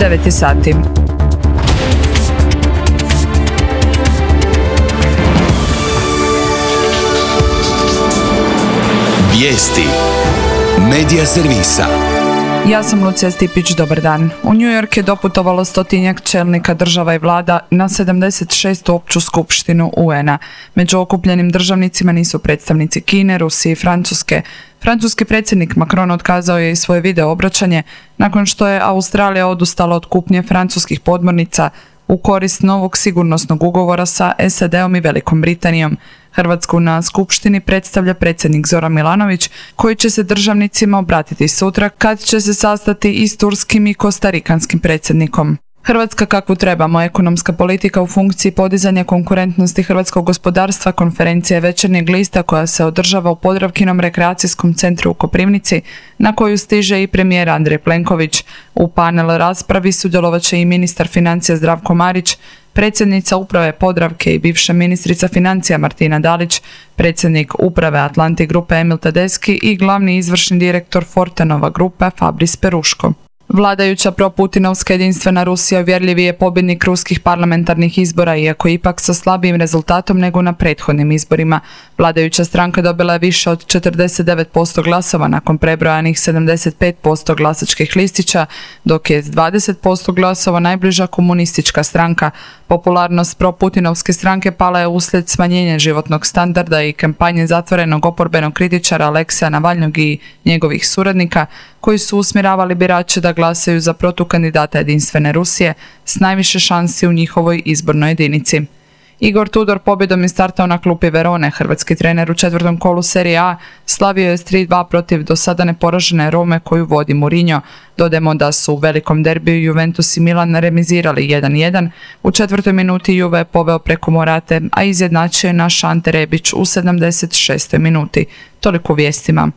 9 sati. Vijesti Medija servisa. Ja sam Lucija Stipić, dobar dan. U New York je doputovalo 100-tinjak čelnika država i vlada na 76. opću skupštinu UN-a. Među okupljenim državnicima nisu predstavnici Kine, Rusije i Francuske. Francuski predsjednik Macron otkazao je i svoje video obraćanje nakon što je Australija odustala od kupnje francuskih podmornica u korist novog sigurnosnog ugovora sa SAD-om i Velikom Britanijom. Hrvatsku na skupštini predstavlja predsjednik Zoran Milanović, koji će se državnicima obratiti sutra kad će se sastati i s turskim i kostarikanskim predsjednikom. Hrvatska kakvu trebamo, ekonomska politika u funkciji podizanja konkurentnosti hrvatskog gospodarstva, konferencija Večernjeg lista koja se održava u Podravkinom rekreacijskom centru u Koprivnici, na koju stiže i premijer Andrej Plenković. U panel raspravi sudjelovat će i ministar financija Zdravko Marić, predsjednica uprave Podravke i bivša ministrica financija Martina Dalić, predsjednik uprave Atlantic grupe Emil Tedeschi i glavni izvršni direktor Fortenova grupe Fabris Peruško. Vladajuća proputinovska jedinstvena Rusija uvjerljivi je pobjednik ruskih parlamentarnih izbora, iako ipak sa slabijim rezultatom nego na prethodnim izborima. Vladajuća stranka dobila je više od 49% glasova nakon prebrojanih 75% glasačkih listića, dok je s 20% glasova najbliža komunistička stranka. Popularnost proputinovske stranke pala je uslijed smanjenja životnog standarda i kampanje zatvorenog oporbenog kritičara Alekseja Navalnog i njegovih suradnika, koji su usmjeravali birače da glasaju za protukandidata jedinstvene Rusije s najviše šansi u njihovoj izbornoj jedinici. Igor Tudor pobjedom je startao na klupi Verone. Hrvatski trener u četvrtom kolu Serije A slavio je s 3-2 protiv do sada neporažene Rome koju vodi Mourinho. Dodajmo da su u velikom derbiju Juventus i Milan remizirali 1-1. U četvrtoj minuti Juve je poveo preko Morate, a izjednačio je naš Ante Rebić u 76. minuti. Toliko u vijestima.